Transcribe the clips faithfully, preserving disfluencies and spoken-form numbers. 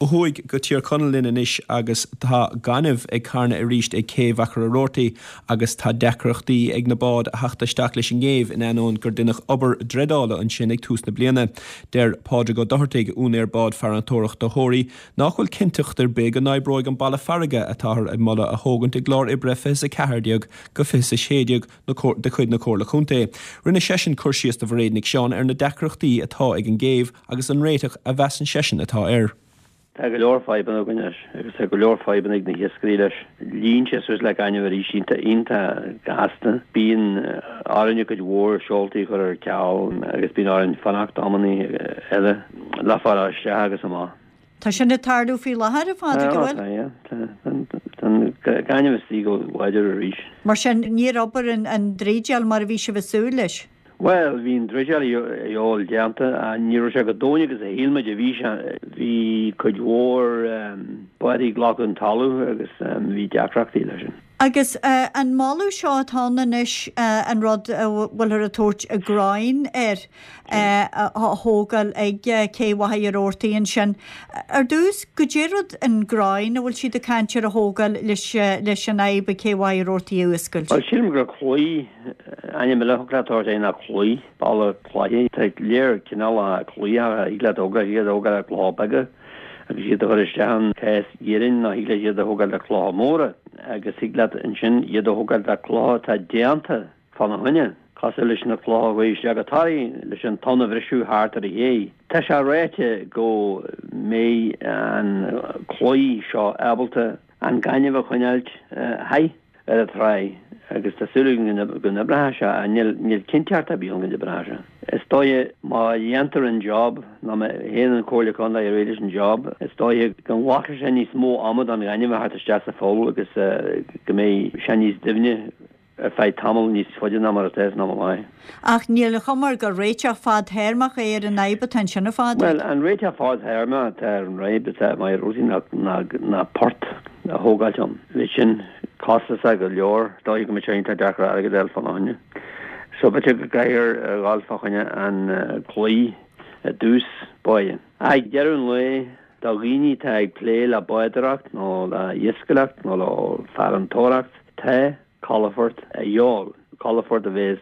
Ó thuaidh go Tír Chonaill linn anois agus tá gaineamh ag carnadh arís ag céibh Mhachaire Rabhartaigh agus tá deacrachtaí ag na báid a theacht isteach leis an gcéibh in ainneoin gur deineadh obair dreideála ansin ag tús na bliana. Deir Pádraig Ó Dochartaigh, úinéir bád farantóireachta Thoraí, nach bhfuil cinnteacht ar bith go n-oibreoidh an balla farraige atáthar ag moladh a thógaint i gclár oibre fiche a ceathair déag go fiche a sé déag de chuid na Comhairle Contae. Rinne seisean cur síos do Mhairéad Nic Seáin ar na deacrachtaí atá ag an gcéibh agus an réiteach a mheasann seisean atá air. Tá go leor fadhbanna againn leis agus tá go leor fadhbanna ag na hiascairí leis. Líon sé suas le gaineamh arís iontach gasta. Bíonn orainn cuid mhór seoltaí a chur ar ceal agus bíonn orainn fanacht amannaí eile le fáil isteach agus amach. Tá sin ag tarlú faoi láthair, a Phádraig, an bhfuil? Tá, yeah. Tá an gaineamh istigh go láidir arís. Mar sin, níor obair an dreideáil mar a bhí sibh ag súil leis? Bhuel, bhí an dreideáil a dhíobháil déanta, ní raibh sé chomh domhain agus a shíl muid a bhí sé. Bhí cuid mhór báid ag glacadh an talamh agus bhí deacrachtaí leis sin. Agus an moladh seo atá ann anois, an rud a bhfuilthear ag tabhairt an groyne air, a thógáil ag Cé Mhachaire Rabhartaigh ansin. Ar dtús, goidé rud an groyne a bhfuil siad ag caint ar a thógáil leis an fhadhb ag Cé Mhachaire Rabhartaigh a fhuascailt? Bhuel, sílim gur claí Ainm eile a thig leat a thabhairt air ná claí, balla claí. Tá léir cineálacha claí a thig leat a thógáil, thig leat a thógáil le clocha beaga agus iad a chur isteach in cás iarainn nó thig leat iad a thógáil le clocha móra agus thig leat ansin iad a thógáil le clocha atá déanta fána choinne, cosúil leis na clocha a chuaigh isteach go Toraigh leis an tonn a bhriseadh thart ar an ché. Tá sé ráite go mbeidh an claí seo ábalta an gaineamh a choinneáilt thiar ar an tráigh agus tá súil againn go n-oibreoidh sé ach níl níl cinnteacht ar bith ann go n-oibreoidh sé. Is dóiche má dhéantar an job nó má théann an Chomhairle Contae ar aghaidh leis an job is dóiche go nglacfaidh sé níos mó ama don ghaineamh a theacht isteach sa pholl agus go mbeidh sé níos doimhne ar feadh tamall níos faide ná mar atá san am i láthair. Ach níl an chuma air gur réiteach fadthéarmach é ar an fhadhb atá ansin, a Phádraig. Bhuel, an réiteach fadthéarmach atá ar an bhfadhb atá i Machaire Rabhartaigh ná ná port a thógáilt ann. Bheadh sin costasach go leor, is dóiche go mbeadh sé iontach deacair airgead a fháil fána choinne. So b'fhéidir go gcaithfear a dhul fá choinne an claí i dtús báire. Ag deireadh an lae, do dhaoine atá ag plé le bádóireacht nó le iascaireacht nó le farantóireacht, tá calafort a dhíobháil, calafort a bheas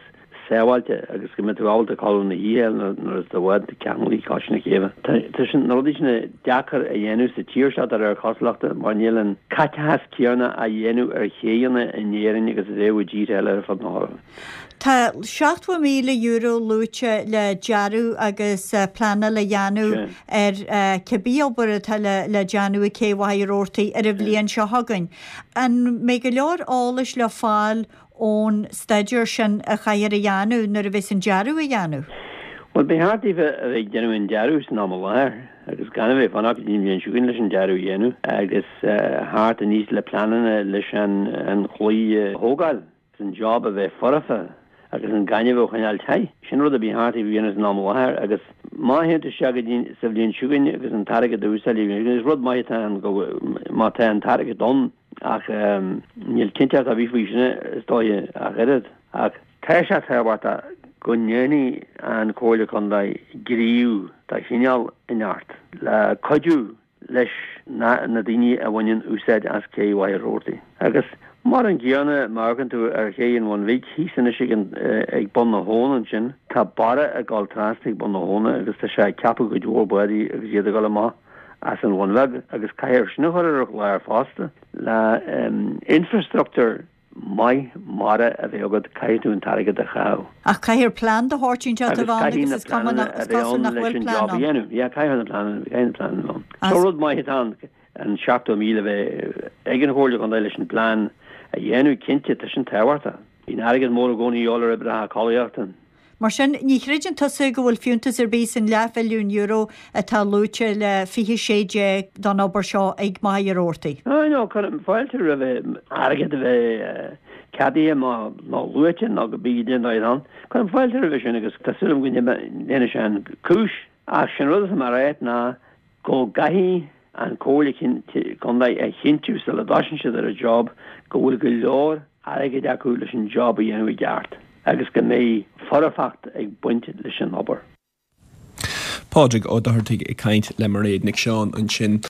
sábháilte agus go mbeidh tú ábalta codladh na hoíche nuair is do bhád ceanglaithe cois na céibhe. Tá sin, na rudaí sin deacair a dhéanamh sa tír seo de réir cosúlachta mar níl an caiteachas céanna á dhéanamh ar chéidheanna in Éirinn agus a bheadh i dtíortha eile ar fud na hEorpa. Tá seachtó míle euro luaite le dearadh agus pleanáil a dhéanamh ar cibé obair atá le déanamh ag Cé Mhachaire Rabhartaigh ar an bhliain seo chugainn. An mbeidh go leor eolais le fáil ón staidéar sin a chaithfear a dhéanamh nuair a bheas an dearadh á dhéanamh? Bhuel, ba cheart daofa a bheith ag déanamh an dearadh san am i láthair agus gan a bheith ag fanacht go dtí an bhliain seo chugainn leis an dearadh a dhéanamh agus theacht aníos le pleananna leis an chlaí a thógáil. an job a bheith foirfe agus an gaineamh a choinneáil te. Sin rud a ba cheart a dhéanamh san am i láthair agus má théann tú isteach go dtí sa bhliain seo chugainn agus an t-airgead a úsáid is rud maith atá ann go má tá an t-airgead ann ach níl cinnteacht ar bith faoi sin is dóiche ach oiread. Ach tá sé tábhachtach go ndéanfaidh an Chomhairle Contae gníomh de chineál inteacht le cuidiú leis na daoine a bhaineann úsáid as Cé Mhachaire Rabhartaigh. Agus mar an gcéanna, má amharcann tú ar Ché an Bhun Bhig, thíos anois ag an, ag bun na habhann ansin, tá barra ag dul trasna ag bun na habhna agus tá sé ag ceapadh cuid mhór bádaí agus iad ag dul amach as an Bhun Bheag agus caithfear sin a chur ar an chlár fosta le infrastructúr maith mara a bheith agat, caithfidh tú an t-airgead a chaitheamh. Ach caithfear plean de shórt inteacht a Agus bheith ann caithfidh agus na is cuma pleananna nach, a is bheith cosúil ann nach leis bhfuil an plean job a ann. dhéanamh. Yeah, caithfidh na pleananna, caithfidh na pleananna a bheith ann. So As. rud maith atá ann an seachtó míle a bheith ag an Chomhairle Contae leis an bplean a dhéanamh, cinnte, tá sin tábhachtach. Bíonn airgead mór i gcónaí a dhíobháil ar oibreacha calaíochta. Mar sin, ní chreideann tusa go bhfuil fiúntas ar bith san leathmhilliún euro atá luaite le fiche sé déag don obair seo ag Machaire Rabhartaigh? Ah no, cuirim fáilte roimh airgead a bheith ceadaithe nó luaite nó go bídh den dóigh ann. Cuirim fáilte roimhe sin agus tá súil agam go ndéanfaidh sé an cúis. Ach sin rud atá mé a ráit ná go gcaithfidh an Chomhairle Contae a chinntiú sula dtosaíonn siad ar an job go bhfuil go leor airgid acu leis an job a dhéanamh i gceart agus go mbeidh foirfeacht ag baint leis an obair. Pádraig Ó Dochartaigh ag caint le Mairéad Nic Seáin ansin.